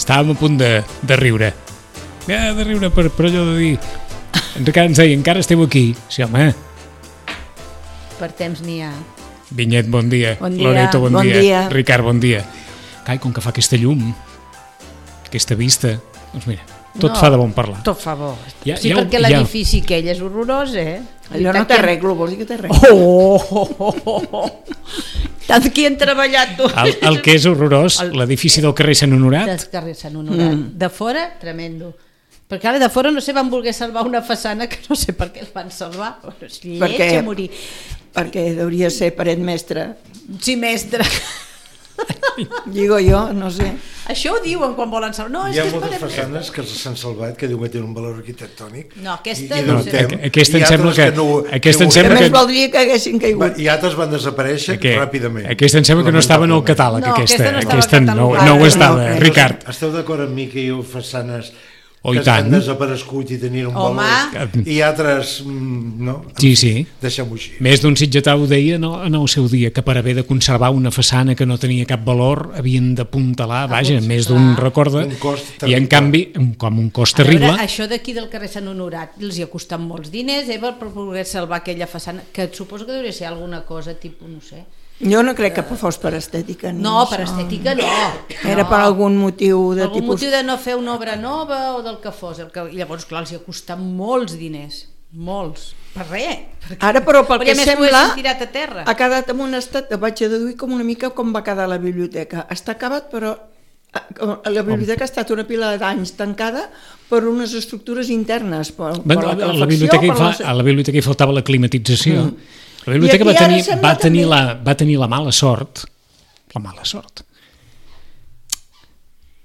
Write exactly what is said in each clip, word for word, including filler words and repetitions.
estàvem a punt de, de riure. Ja, de riure per, per allò de dir... Encara ens deia, encara esteu aquí. Sí, home. Per temps n'hi ha. Vinyet, bon dia. Bon dia. Loreto, bon, Bon dia. dia. Ricard, bon dia. Cai, com que fa aquesta llum, aquesta vista, doncs mira, tot No, fa de bon parlar. Tot fa bo. Ja- sí, ja ho- perquè ja- l'edifici aquell és horrorós, eh? Allò no Tant té que- reglo, vols dir que té reglo? Oh, oh, oh, oh, oh. Tant que hi han treballat tu. El, el que és horrorós, El- l'edifici del carrer Sant Honorat, Del carrer Sant Honorat. Mm. De fora, tremendo. Perquè ara de fora no sé, van voler salvar una façana que no sé per què el van salvar. És lleig Perquè- a morir. Perquè hauria de ser paret mestre. Sí, mestre. Digo jo, no sé. Això ho diuen quan volen salvar. No, és Hi ha que és moltes paret mestre. façanes que s'han salvat que diuen que tenen un valor arquitectònic. No, aquesta i, i no dubtem. sé. Aqu- aquesta I em sembla altres que- no, aquesta em ho- sembla A que- més valdria que haguessin caigut. I altres van desaparèixer que, ràpidament. aquesta em sembla que no estava en el catàleg, No, aquesta, aquesta no estava aquesta no, catalogada. no ho No, estava, no, Ricard. Esteu d'acord amb mi que hi ha façanes Oh, i que han tant. desaparegut i tenien un Home. valor i altres mm, no? Sí, sí. Deixem-ho així. Més d'un sitgetà ho deia no, en el seu dia, que per haver de conservar una façana que no tenia cap valor havien d'apuntalar, vaja, doncs, més clar. d'un recorda, Un cost i en terrible. canvi, un- com un cost A veure, terrible, això d'aquí del carrer Sant Honorat els hi ha costat molts diners, eh, per poder salvar aquella façana, que et suposo que hauria de ser alguna cosa tipus, no sé. Jo no crec que fos per estètica. Ni No, això. per estètica no. Era no. per algun motiu de algun tipus... motiu de no fer una obra nova o del que fos. El que... I llavors, clar, els hi ha costat molts diners. Molts. Per res. Perquè... Ara, però, pel Perquè que a més sembla, ho haguessin tirat a terra. ha quedat en un estat, vaig a deduir com una mica com va quedar la biblioteca. Està acabat, però eh, la biblioteca ha estat una pila d'anys tancada per unes estructures internes, per, per bueno, la a, la calefacció, biblioteca hi per fa, la... a la biblioteca hi faltava la climatització. Mm. La biblioteca I va aquí ara tenir, sembla va, tenir també- la, va tenir la mala sort, la mala sort,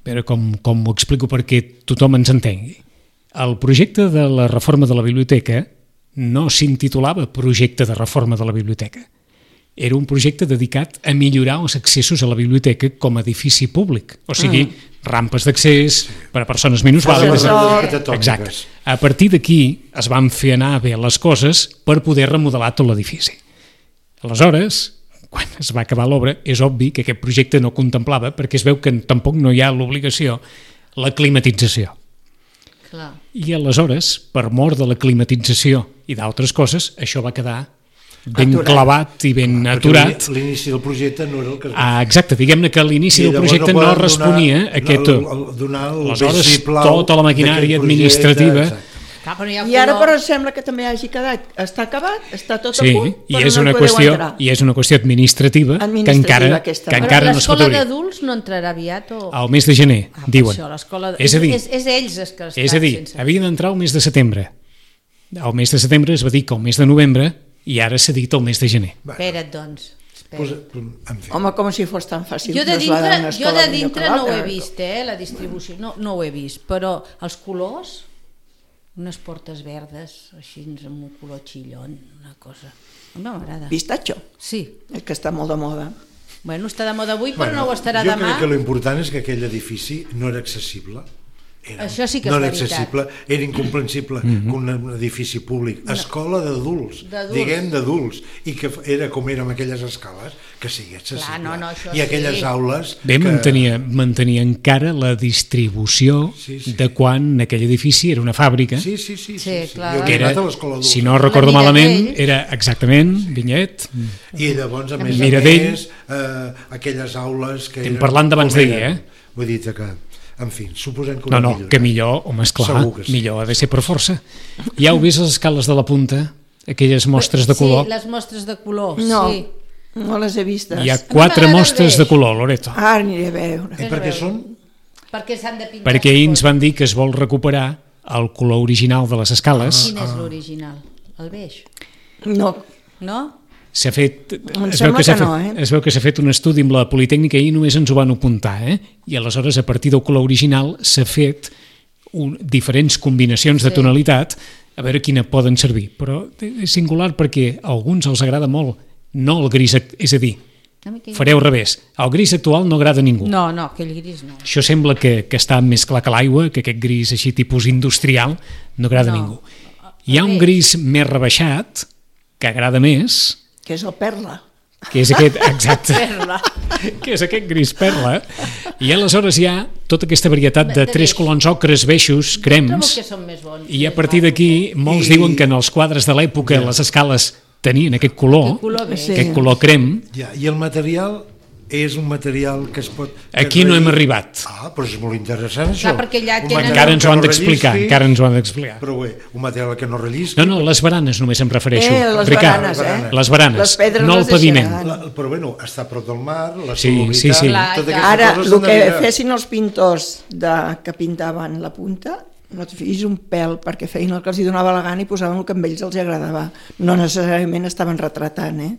a veure com, com ho explico perquè tothom ens entengui. El projecte de la reforma de la biblioteca no s'intitulava projecte de reforma de la biblioteca. Era un projecte dedicat a millorar els accessos a la biblioteca com a edifici públic, o sigui, mm. rampes d'accés per a persones minusvàlides. Ascensor. Exacte. A partir d'aquí es van fer anar bé les coses per poder remodelar tot l'edifici. Aleshores, quan es va acabar l'obra, és obvi que aquest projecte no contemplava, perquè es veu que tampoc no hi ha l'obligació, la climatització. Clar. I aleshores, per mort de la climatització i d'altres coses, això va quedar ben Aturat. clavat i ben Perquè aturat. l'inici del projecte no era el que es va Ah, exacte, diguem-ne que a l'inici I del llavors projecte no poden responia donar, a aquest... el, el, donar el Aleshores, vistiplau tota la maquinària d'aquest administrativa... projecte, Clar, però hi ha I ara color. però sembla que també hagi quedat, està acabat, està tot Sí, a punt, i però és, no una hi podeu qüestió, entrar. i és una qüestió administrativa, que Administrativa encara, aquesta. que Però encara Però no es pot l'escola obrir. d'adults no entrarà aviat o... Al mes de gener, Ah, per diuen. Això, l'escola... És a dir, és, és ells els que estan és a dir, sense... havia d'entrar el mes de setembre. El mes de setembre es va dir que el mes de novembre i ara s'ha dit el mes de gener. Espera't, doncs. Pues, Espera't. en fi. Home, com si fos tan fàcil Jo de trasladar dintre, una jo escola de d'un lloc dintre a no ho he l'altre. vist, eh, la distribució, no, no ho he vist, però els colors, unes portes verdes, així amb un color xillon, una cosa... A mi m'agrada. Pistatxo, Sí. és que està molt de moda. Bueno, està de moda avui, però Bueno, no ho estarà jo demà. crec que l'important és que aquell edifici no era accessible. Era, Això sí que és no era veritat. accessible, era incomprensible Mhm. que un edifici públic, escola d'adults, D'adults. diguem d'adults, i que era com era amb aquelles escales, que sigui accessible. Clar, no, no, això I aquelles sí. aules... Bé, que... mantenia, mantenia encara la distribució Sí, sí. de quan aquell edifici era una fàbrica, Sí, sí, sí. sí, Sí, sí. clar. Jo que he era, anat a l'escola d'adults. si no recordo La malament, Miradell. era exactament, Vinyet, I llavors, a més Miradell. a més, eh, aquelles aules que Estem eren... parlant d'abans com d'ahir, eren. eh? Vull dir que, en fi, suposem que... ho no, hem no, millorat. que millor, home, esclar, Segur que sí. millor ha de ser per força. Ja heu vist les escales de la punta, aquelles mostres de color? Sí, les mostres de color, No, sí. no les he vistes. Hi ha A mi quatre m'agrada el mostres de beix. color, Loreto, Ara aniré a veure. I per què són? Perquè s'han de pintar. perquè ahir ens van dir que es vol recuperar el color original de les escales. Quin és l'original? El beix? No, No? S'ha fet, Em es veu sembla que s'ha que no, fet, eh? es veu que s'ha fet un estudi amb la Politècnica i només ens ho van apuntar, eh? I aleshores a partir del color original s'ha fet un, diferents combinacions de Sí. tonalitat a veure quina poden servir, però és singular perquè a alguns els agrada molt, no el gris, act- és a dir, A mi aquell- fareu al revés, el gris actual no agrada a ningú. No, no, aquell gris no. Això sembla que, que està més clar que l'aigua, que aquest gris així tipus industrial no agrada No. a ningú. Hi ha un Bé. gris més rebaixat que agrada més, que és el perla. que és aquest, exacte, Perla. que és aquest gris perla, i aleshores hi ha tota aquesta varietat de De tres beix. colors ocres, beixos, Trobo crems, que són més bons. i a partir d'aquí molts I- diuen que en els quadres de l'època les escales tenien aquest color, Aquest color beix. Sí. aquest color crem. Ja, i el material és un material que es pot... Aquí no hem arribat. Ah, però és molt interessant això. Clar, perquè allà Un tenen- material Encara ens que ho han no d'explicar, rellisqui, encara ens ho han d'explicar. Però bé, un material que no rellisqui. No, no, les baranes només em refereixo. Eh, les Ricard, baranes, eh? les baranes, Les pedres no el les paviment. deixaran. La, però bueno, està a prop del mar, la Sí, solubilitat... sí, sí. Clar, totes clar. aquestes Ara, coses el s'han que de mirar. fessin els pintors de, que pintaven la punta, no et fiïs un pèl, perquè feien el que els hi donava la gana i posaven el que a ells els agradava. No necessàriament estaven retratant, eh?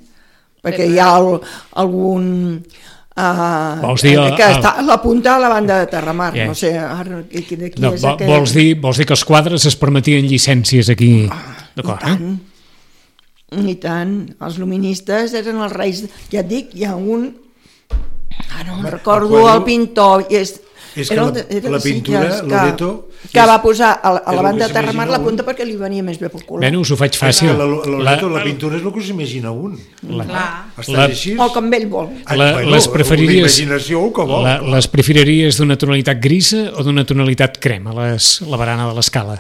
Perquè hi ha el, algun... Uh, Vols dir, que el- està a la punta a la banda de Terramar, Yeah. no sé, ara, qui, qui, qui No, és vo- aquest? vols, dir, vols dir que els quadres es permetien llicències aquí? D'acord, I tant, i tant. Els luministes eren els reis, ja et dic, hi ha un... Ara no Home, me'n recordo el quadre- el pintor, i és, És que era la- el de- era la de pintura, Sitges, que, Loreto, que és- va posar a, la- a és la el banda que de Terramar la s'imagina punta un. perquè li venia més bé pel color. Bueno, us ho faig És que fàcil. la, la, Loreto, la, La- pintura és el que s'imagina un. Clar. Està La- així. O com ell vol. Ah, La- bueno, les preferiries- una imaginació el que vol. La, les preferiries d'una tonalitat grisa o d'una tonalitat crema, les, la barana de l'escala?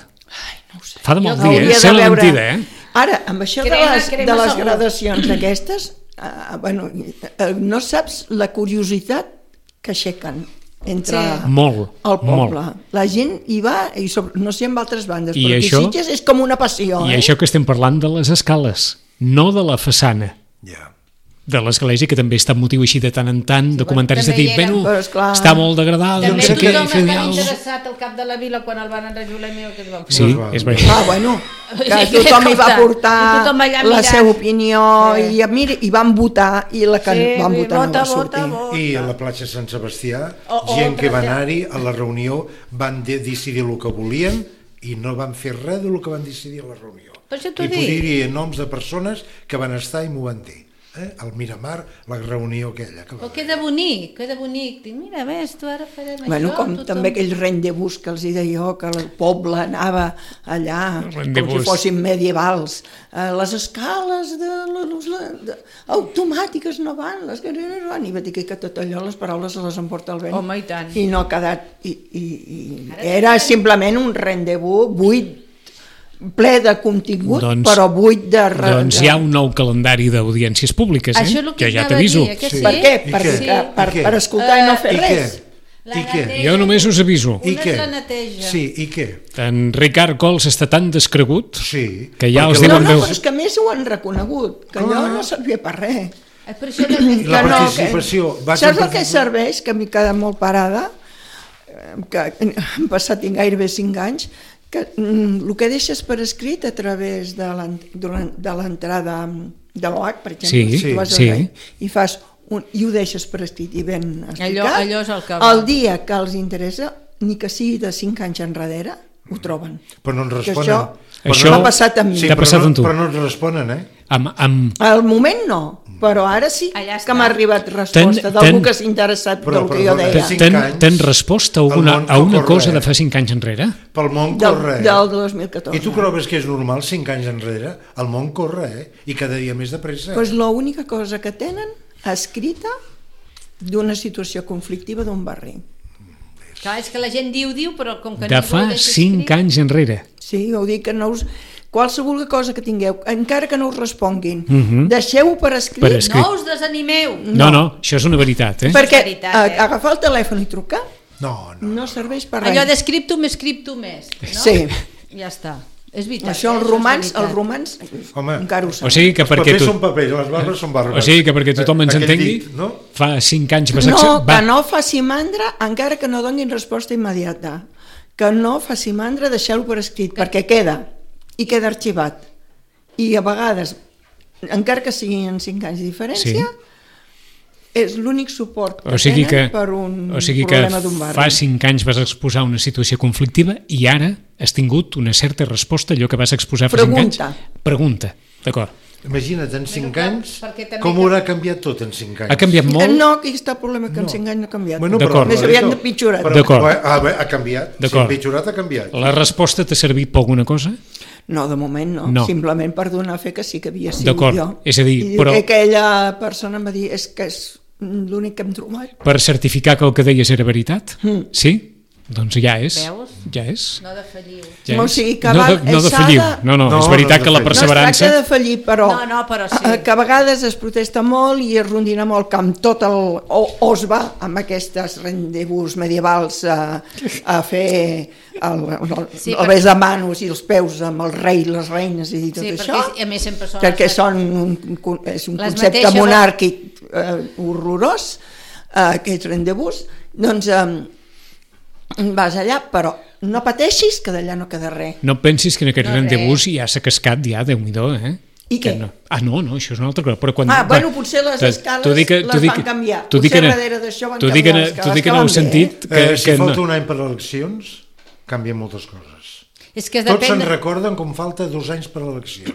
No ho sé. Fa de mal Jo dir, Hauria eh? de Sé la veure- mentida, eh? Ara, amb això de Crema, les, crema de les segur. gradacions d'aquestes, uh, bueno, uh, no saps la curiositat que aixequen entre Sí. Molt, el poble. molt. La gent hi va, i sobre, no sé en altres bandes, I però aquí això- Sitges és com una passió. I eh? això que estem parlant de les escales, no de la façana Ja. de l'església, que també està motiu així de tant en tant, de comentaris de també dir, hi eren. bueno, Però esclar. està molt degradada, no També sé què, tothom fer estava alguna cosa. interessat al cap de la vila quan el van enrajolar i mira que es van fer. Sí, No es va. és veritat. Ah, bueno, que Sí, tothom hi va escolta, portar i tothom allà la mirant. seva opinió Sí. i, mira, i van votar i la que Sí, van sí, votar no vota, va sortir. vota, vota. I a la platja Sant Sebastià, O- o gent que va altra- anar-hi a la reunió van de decidir el que volien i no van fer res del que van decidir a la reunió. Per això t'ho I dic. podria dir noms de persones que van estar i m'ho van dir. Eh? Al Miramar, la reunió aquella. Que va Però haver. queda bonic, queda bonic. Dic, mira, ves, tu ara farem Bueno, això. com tothom... també aquell rendezvous que els hi deia jo, que el poble anava allà, com Rendezvous. si fossin medievals. Eh, les escales de, les, les, de, automàtiques no van, les que no van, i va dir que tot allò, les paraules se les emporta el vent. Home, i tant. I no ha quedat... I, i, i era simplement un rendezvous buit, ple de contingut, Doncs- però buit de... re- Doncs hi ha un nou calendari d'audiències públiques, eh? Això és el que que ja anava a t'aviso. dir, que sí. Per què? I Per, què? per, per, I què? per escoltar i no fer I res. què? La I què? neteja. Jo només us aviso. I Una què? és la neteja. Sí, i què? En Ricard Cols està tan descregut Sí. que ja perquè els la- No, diuen... no, veu- però és que a més ho han reconegut, que allò no servia per res. És per això I que... la Que no, participació. Que, Vaig saps en el que participació? serveix? Que m'he quedat molt parada, eh, que han passat gairebé cinc anys, que mm, el que deixes per escrit a través de l'en- durant- de l'entrada de l'O H, per exemple, Sí, si tu vas al sí. rei, i fas un, i ho deixes per escrit i ben explicat, allò és el que va. el dia que els interessa, ni que sigui de cinc anys enrere, ho troben. Però no ens Que responen. això Però Això- m'ha passat amb mi. Sí, T'ha però passat no, amb tu. Però no ens responen, eh? Amb, amb, Al moment no, però ara sí Allà està. que m'ha arribat resposta Ten- d'algú ten- que s'ha interessat Però, del que jo perdona, deia. cinc ten, anys, ten resposta a el una, món a una no cosa corre, de eh? fa cinc anys enrere? Pel món Del, corre, eh? del dos mil catorze. I tu creus que és normal cinc anys enrere? El món corre, eh? I cada dia més de pressa. Pues l'única cosa que tenen escrita d'una situació conflictiva d'un barri. Clar, és que la gent diu, diu, però com que De ningú ho fa deixa cinc escrit- anys enrere. Sí, ho dic que no us... Qualsevol cosa que tingueu, encara que no us responguin, Mhm. deixeu-ho per escrit, Per escrit. No us desanimeu. No, no, això és una veritat, eh? perquè És veritat, eh? eh, agafar el telèfon i trucar No, no. no serveix per res. Allò d'escriptum, escriptum més. No? Sí. Ja està. És veritat. Això, eh? els és romans, veritat. els romans Home, encara ho O saben. sigui que Els perquè papers tu... són papers, les barbes són barbes. O sigui que perquè tothom ens Aquell entengui, dit, no? fa cinc anys vas No, acceptar... que no faci mandra encara que no donin resposta immediata. Que no faci mandra, deixeu-ho per escrit, perquè queda, i queda arxivat. I a vegades, encara que siguin en cinc anys de diferència, Sí. és l'únic suport que O sigui que, tenen per un o sigui que problema d'un barri. fa cinc anys vas exposar una situació conflictiva i ara has tingut una certa resposta a allò que vas exposar fa cinc anys? Pregunta. Pregunta, d'acord. Imagina't, en cinc clar, anys, perquè també com que- haurà canviat tot en cinc anys? Ha canviat Eh, molt? No, aquí està el problema, que en cinc anys no ha canviat. Bueno, D'acord. Més aviat de pitjorat. Però, D'acord. però, ah, bé, ha canviat. Si D'acord. ha pitjorat, ha canviat. La resposta t'ha servit per alguna cosa? No, de moment no. No. Simplement per donar fe que sí que havia sigut D'acord, jo. és a dir, I però- que aquella persona em va dir és que és l'únic que hem trobat. Per certificar que el que deies era veritat? Mm. Sí? Doncs ja és. Veus? Ja és. No defalliu. Ja O és. sigui que no, val- de, no s'ha defalliu. de- No, no, No, és veritat no que la defalliu. No es perseverança... tracta de fallir, però, No, no, però sí. eh, que a vegades es protesta molt i es rondina molt que amb tot el... o, o es va amb aquestes rendezvous medievals a, a fer el, el, Sí, el perquè- bes de manos i els peus amb el rei, les reines i tot Sí, això, perquè a més sempre són... perquè les- són un, un, és un Les concepte mateixes- monàrquic eh, horrorós, eh, aquests rendezvous, doncs eh, vas allà, però no pateixis que d'allà no queda res. No pensis que en aquest No, rendezvous ja s'ha cascat ja, Déu-n'hi-do, eh? I Que què? No. Ah, no, no, això és una altra cosa. Però quan, Ah, bueno, quan- potser les t'ho- escales t'ho dic que- les t'ho dic van que- canviar. t'ho dic Potser que no- darrere d'això van t'ho dic que canviar no- les t'ho escales, dic que que no heu van bé, sentit que, Eh, si que falta no. un any per a eleccions, canvien moltes coses. És que Tots depèn... se'n recorden com falta dos anys per a eleccions.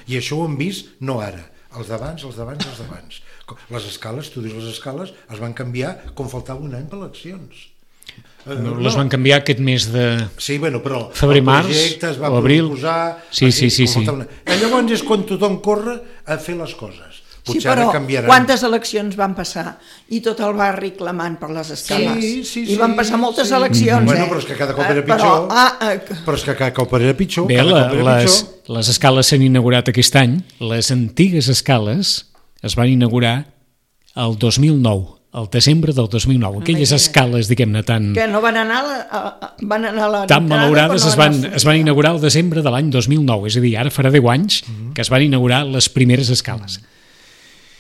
I això ho hem vist no ara, els d'abans, els d'abans, els d'abans. Les escales, tu dius les escales, es van canviar com faltava un any per eleccions. Eh, No, les van canviar aquest mes de... Sí, bueno, però Febrer, el març projecte es va o abril. proposar... Sí, sí, sí, com sí. faltava una- I llavors és quan tothom corre a fer les coses. Sí, Potser però ara canviaran. quantes eleccions van passar? I tot el barri clamant per les escales. Sí, sí, I van sí, passar moltes sí. eleccions, Bueno, eh? però és que cada cop era Eh, però, pitjor. ah, eh, Però és que cada cop era pitjor. Bé, cada la, cop era les, pitjor. les escales s'han inaugurat aquest any. Les antigues escales es van inaugurar el dos mil nou, el desembre del dos mil nou. Aquelles Imagina't. escales, diguem-ne, tan, que no van anar a la, a, a, van anar a la tan entrada, malaurades però es no van, a la es van inaugurar el desembre de l'any dos mil nou. És a dir, ara farà deu anys que es van inaugurar les primeres escales.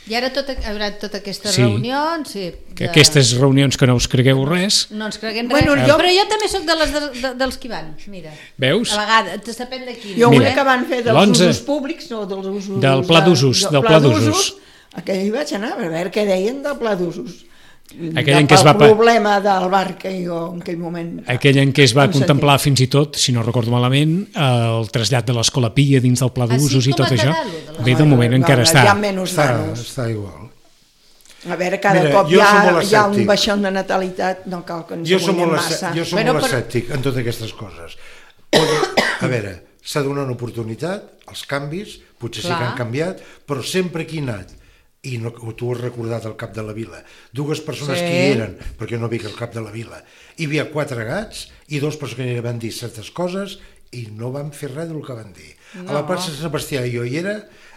I ara tot, hi haurà totes aquestes Sí. reunions... Sí, Que de- aquestes reunions que no us cregueu res, No ens creguem Bueno, res. jo- Però jo també sóc de les de, de, dels que hi van, mira. veus? A vegades, depèn de quin. Jo Mira, una que van fer dels l'onze usos públics, no dels usos... del pla d'usos, de- del pla d'usos. Aquell hi vaig anar a veure què deien del pla d'usos. Aquell en què es va El pa- problema del bar que jo en aquell moment... aquell en què es va Em sentia. contemplar fins i tot, si no recordo malament, el trasllat de l'Escola Pia dins del pla Ah, sí? d'usos i Com tot va això. quedar, lo de la- Bé, de moment No, encara no, està. Hi ha menys Està, nanos. està igual. A veure, cada Mira, cop jo hi ha, soc molt hi ha un escèptic. baixón de natalitat, no cal que ens Jo soc amoïnem molt, massa. escè- jo soc Bueno, molt però- escèptic en totes aquestes coses. A veure, s'ha de donar una oportunitat, els canvis, potser sí Clar. que han canviat, però sempre que hi he anat, i no, tu has recordat el cap de la vila, dues persones Sí. que hi eren, perquè no vi que el cap de la vila, hi havia quatre gats i dos persones que van dir certes coses i no van fer res del que van dir. No. A la plaça Sant Sebastià, jo hi era,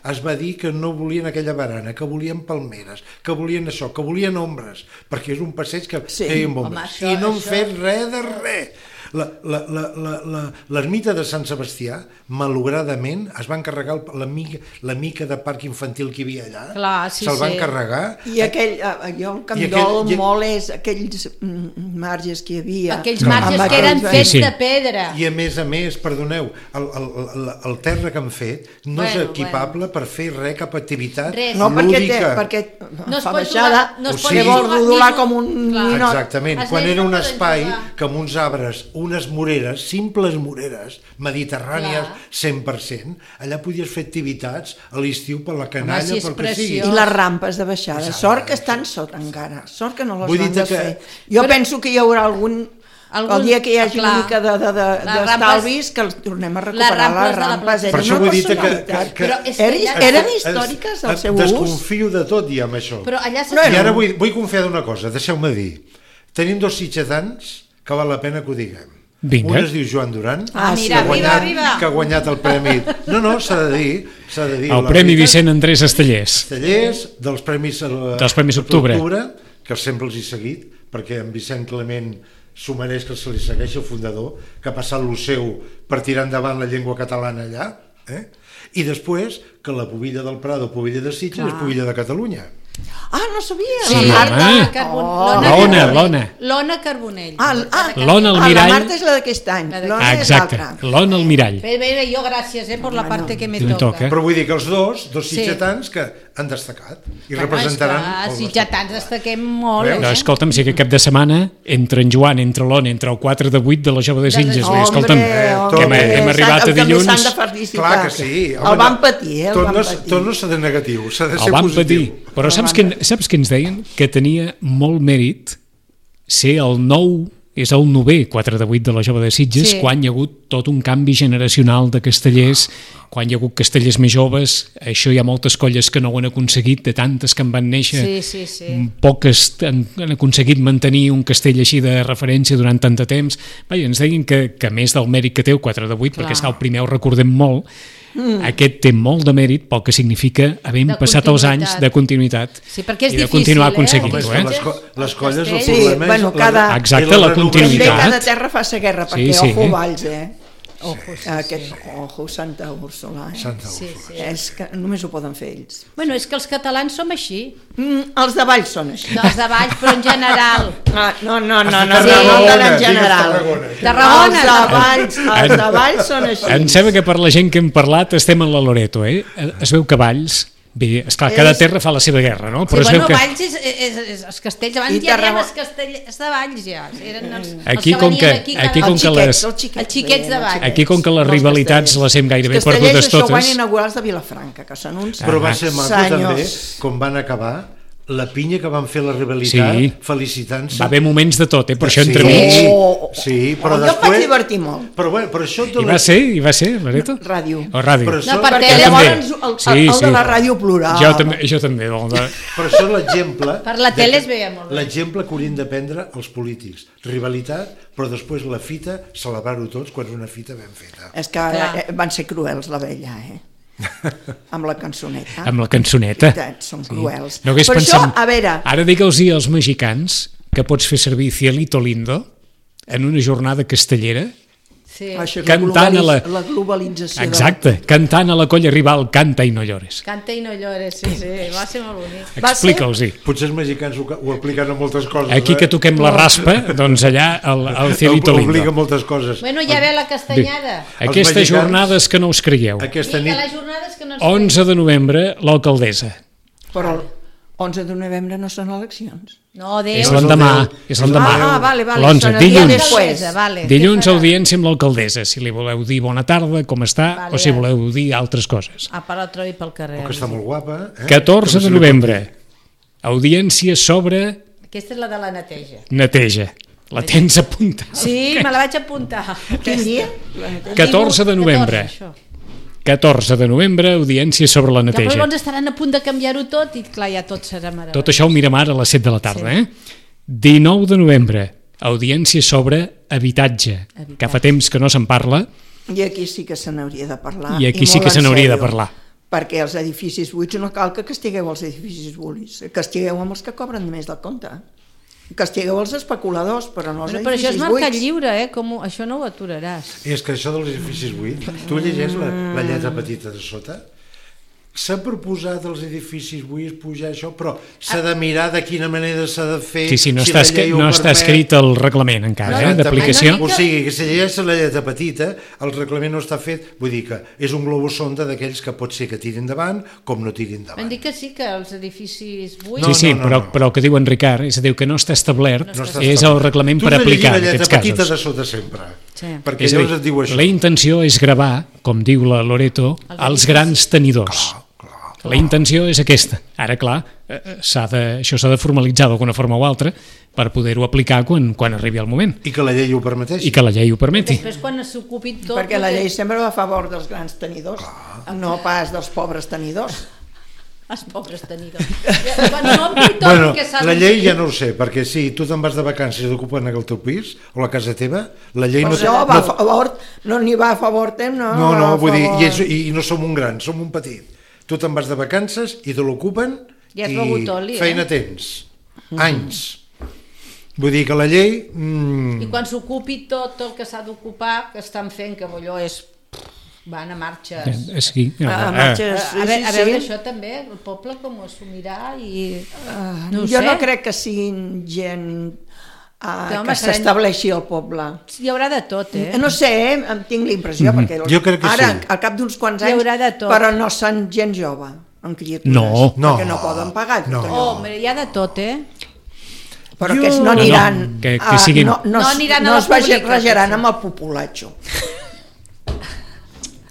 es va dir que no volien aquella barana, que volien palmeres, que volien això, que volien ombres, perquè és un passeig que Sí. feien Home, bombes. això- I no han això- fet res de res. La- la- la- la- la- L'ermita de Sant Sebastià, malogradament, es van carregar el- la mica, la mica de parc infantil que hi havia allà, Clar, sí, se'l van sí. carregar. I aquell, eh, jo el que em I aquell- dol i- molt és aquells mm, marges que hi havia. Aquells No. marges Amb que eren aquells- fets Sí, sí. de pedra. I a més a més, perdoneu, el, el, el, el terra que han fet no Bueno, és equipable per fer res, cap activitat Res. No, perquè, té, lúdica. perquè No es fa pot baixada, jugar- no es O pot sigui- que vol jugar- rodolar ni- com un Clar. ninot. Exactament, Els quan nens era no un poden espai jugar. que amb uns arbres, unes moreres, simples moreres, mediterrànies Clar. cent per cent, allà podies fer activitats a l'estiu per la canalla, si és pel que sigui. I les rampes de baixada. Baixada, Sort que sí. estan sota encara. Sort que no les Vull van dir-te desfer. que- Jo Però- penso que hi haurà algun... Algun- El dia que hi hagi clar. una mica de- de- de- Les d'estalvis, que els tornem a recuperar les rampes de la rampes. plaça. Eren Per això una vull dir-te que- personalitat. que- que- Però és que Eren, ja- eren Es- històriques el es- seu ús. Desconfio de tot ja amb això. Però allà se... No, I ara vull, vull confiar d'una cosa, deixeu-me dir. Tenim dos sitgetans que val la pena que ho diguem. Vinga. Un es diu Joan Duran, Ah, sí. mira, que, ha arriba, guanyat, arriba. que ha guanyat el premi... No, no, s'ha de dir. S'ha de dir El la Premi veritat. Vicent Andrés Estellers. Tallers, dels Premis, eh, Dels Premis Octubre. que sempre els he seguit, perquè en Vicent Clement s'ho mereix que se li segueixi, el fundador, que ha passat lo seu per tirar endavant la llengua catalana allà, eh? I després que la Pobilla del Prado, Pobilla de Sitges, és Pobilla de Catalunya. Ah, no sabia. Sí, home. L'Ona Carbon... Oh. L'Ona, Carbonell. l'Ona. L'Ona Carbonell. Ah, l- ah, L'Ona al ah, mirall. la Marta és la d'aquest any. La d'aquest L'Ona Ah, és exacte. l'altra. L'Ona al mirall. Bé, bé, jo gràcies eh, per la Bueno, parte que me me toca. toca. Però vull dir que els dos, dos Sí. sitgetans que han destacat i Home, representaran... esclar, el si nostre ja tants poble. destaquem molt, Veus? No, eh? escolta'm, si aquest cap de setmana, entre en Joan, entre l'Ona, entre el quatre de vuit de la Jove de Sitges, vull dir, escolta'm, Eh, que hem, hem arribat a també dilluns, s'han de felicitar. Clar que sí. El van patir, eh? El tot, van no, patir. tot no s'ha de negatiu, s'ha de ser el van positiu. patir. Però saps què, saps què ens deien? Que tenia molt mèrit ser el nou és el novè quatre de vuit de la Jove de Sitges, Sí. quan hi ha hagut tot un canvi generacional de castellers, quan hi ha hagut castellers més joves, això hi ha moltes colles que no ho han aconseguit, de tantes que en van néixer, Sí, sí, sí. poques han, han aconseguit mantenir un castell així de referència durant tant de temps. Vaja, ens deien que, que a més del mèrit que té el quatre de vuit, Clar. perquè és que el primer ho recordem molt, mm. aquest té molt de mèrit pel que significa havent De passat els anys continuïtat. de continuïtat Sí, perquè és i de difícil, continuar eh? aconseguint-ho. Home, és Eh? que les, co- les colles, el Castell. problema Sí, bueno, és... cada- Exacte, i la renovació. continuïtat. També cada terra fa sa guerra, perquè Sí, sí. ojo Valls, eh? Ojo, sí, Aquest, sí. ojo, Santa Úrsula, eh? Santa Sí, Úrsula. sí. És que només ho poden fer ells. Bueno, és que els catalans som així. Mm, els de Valls són així. Dels de Valls, però en general. Ah, no, no, no, no, Has no, de no, no, Tarragona, no, en digues general. Tarragona. Tarragona. Els de Valls, els de Valls són així. Em sembla que per la gent que hem parlat estem en la Loreto, eh? Es veu que Valls, bé, esclar, cada És- terra fa la seva guerra, no? Sí, Però es veu bueno, que Valls és, és, és, els castells, abans I ja dèiem Tarragona. els castells de Valls ja. Eren els, Aquí, els que com que- venien aquí, aquí cada- com Els que xiquets, les- els xiquets. Els xiquets de veien, Valls. els aquí com que les Els rivalitats castellers. les hem gairebé Els castellers, perdudes això ho van totes. inaugurar els de Vilafranca, que són uns... Però va Ah. ser maco Senyors. també, com van acabar, la pinya que van fer la rivalitat, Sí. felicitant-se. Va haver moments de tot, eh? Per això Sí. entremig. Oh, Sí, però oh, jo em després... vaig divertir molt. Però, bueno, però això... de I la- va ser, i va ser, Loreto? Ràdio. O ràdio. Però No, això, per Perquè tele, llavors també. el, el, Sí, el sí. de la ràdio plorava. Jo també, jo també. Doncs, de- però això és l'exemple... Per la de tele que- es veia molt bé. L'exemple que haurien de prendre els polítics. Rivalitat, però després la fita, celebrar-ho tots quan és una fita ben feta. És que Clar. eh, van ser cruels, la vella, eh? Amb la cançoneta. amb la cançoneta. I tant, són cruels. No hagués Per pensat... això, a veure, Ara digue'ls als mexicans que pots fer servir Cielito Lindo en una jornada castellera, Sí. això és la, cantant a la- globalis- la globalització. exacte, cantant a la colla rival Canta i no llores. Canta i no llores, sí, sí, va ser molt bonic. Va ser- Explica'ls-hi. Potser els mexicans ho, ho apliquen a moltes coses. Aquí eh? que toquem la raspa, doncs allà el, el Cielito Obliga Lindo. moltes coses. Bueno, ja ve la castanyada. Aquestes mexicans- jornades que no us creieu. Aquesta Vinga, nit... les jornades que no ens onze de novembre, l'alcaldessa. De... Però el onze de novembre no són eleccions. No, Déu. És el l'endemà, deu. és l'endemà. Ah, ah, vale, vale. l'onze, Són el dia dilluns. després. Vale. Dilluns Què farà? audiència amb l'alcaldessa, si li voleu dir bona tarda, com està, Vale, o si ja. voleu dir altres coses. Ah, per l'altre i pel carrer. O que està molt guapa. Eh? catorze Com de se li novembre, audiència sobre Aquesta és la de la neteja. neteja. La tens apuntada. Sí, me la vaig apuntar. Quin dia? catorze de novembre. catorze, això. catorze de novembre, audiència sobre la Ja, però neteja. llavors estaran a punt de canviar-ho tot i clar, ja tot serà meravellós. Tot això ho mirem ara a les set de la tarda. Eh? dinou de novembre, audiència sobre habitatge, Habitatge. que fa temps que no se'n parla, I aquí sí que se n'hauria de parlar. i aquí sí molt que se en n'hauria de sèrio. parlar. Perquè els edificis buits no cal que castigueu els edificis buits, castigueu amb els que cobren més del compte. Castigueu els especuladors, però no els Bueno, però això és edificis mercat buits. lliure, eh? Com, ho- això no ho aturaràs. I és que això dels edificis buits, tu llegeix la, la lletra petita de sota, s'ha proposat als edificis buits pujar això, però s'ha de mirar de quina manera s'ha de fer... Sí, sí, no, si està, la escrit, llei ho no està permet. escrit el reglament encara, eh, d'aplicació. Ai, no, O sigui, que si llegeix la lletra petita, el reglament no està fet, vull dir que és un globus sonda d'aquells que pot ser que tirin endavant com no tirin Vam endavant. dir que sí, que els edificis buits... Sí, No, sí, no, no, però, no. però el que diu en Ricard, és a dir, que no està establert, No està és el establert. reglament Tu per has de llegir aplicar en la lletra aquests petita casos. de sota sempre, Sí. perquè És a llavors dir, et diu això. la intenció és gravar, com diu la Loreto, els grans tenidors. La intenció és aquesta. Ara, clar, eh, s'ha de, això s'ha de formalitzar d'alguna forma o altra per poder-ho aplicar quan, quan arribi el moment I que la llei ho permeteixi. i que la llei ho permeti. Després, quan s'ocupi tot... Perquè la tot- llei sempre va a favor dels grans tenidors, no pas dels pobres tenidors. Els pobres tenidors. Quan s'ompli tot Bueno, el que s'ha la de llei fer. ja no ho sé, perquè si tu te'n vas de vacances i t'ocupen el teu pis o la casa teva, la llei Però no... això va a no, favor, no n'hi va a favor, tem, no? no, va no, a vull dir, favor. i, és, i no som un gran, som un petit. Tu te'n vas de vacances i te l'ocupen Ja has i begut oli, eh? feina tens. Anys. Vull dir que la llei... Mm, I quan s'ocupi tot el que s'ha d'ocupar, que estan fent, que allò és... van a marxes. Eh, Sí, Ah, eh, marxes, A, a, veure, a veure sí. això també, el poble com ho assumirà i... Ah, no ho jo sé. no crec que siguin gent uh, Però, home, que seran- s'estableixi al poble. Hi haurà de tot, eh? No sé, eh? em tinc la impressió, perquè Jo crec que ara, sí. al cap d'uns quants Hi anys, haurà de tot. però no són gent jove, amb criatures, No. perquè No. no poden pagar tot No. allò. Oh, mira, hi ha de tot, eh? Però Jo- aquests no No, no, aniran, que- que a- siguin- no, no, No es- aniran a no la es vagi- pública, rajaran potser. amb el populatxo.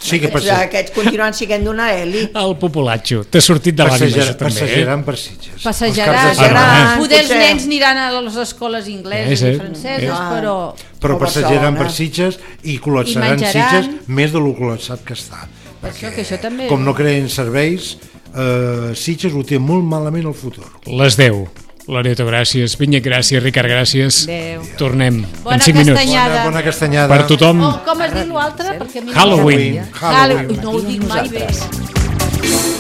Sí, que Aquests, aquests continuen sent d'una elit. El populatxo. T'ha sortit de l'ànima, Passejar, això també. Eh? passejaran per Sitges. Passejaran, Els caps de setmana. passejaran. Poder els Potser. nens aniran a les escoles ingleses Eh, sí. i franceses, Ah. però... Però O passejaran Barcelona. per Sitges i I col·lapsaran menjaran. Sitges més de lo col·lapsat que està. això, que això també- Com no creen serveis, eh, Sitges ho té molt malament el futur. Les deu. Loreto, gràcies. Vinyet, gràcies. Ricard, gràcies. Adéu. Tornem Bona en cinc minuts. castanyada. Bona, bona castanyada. Per tothom. Oh, com es diu l'altre? Perquè a mi no Halloween. m'agrada. Halloween. No ho dic mai bé. Nosaltres.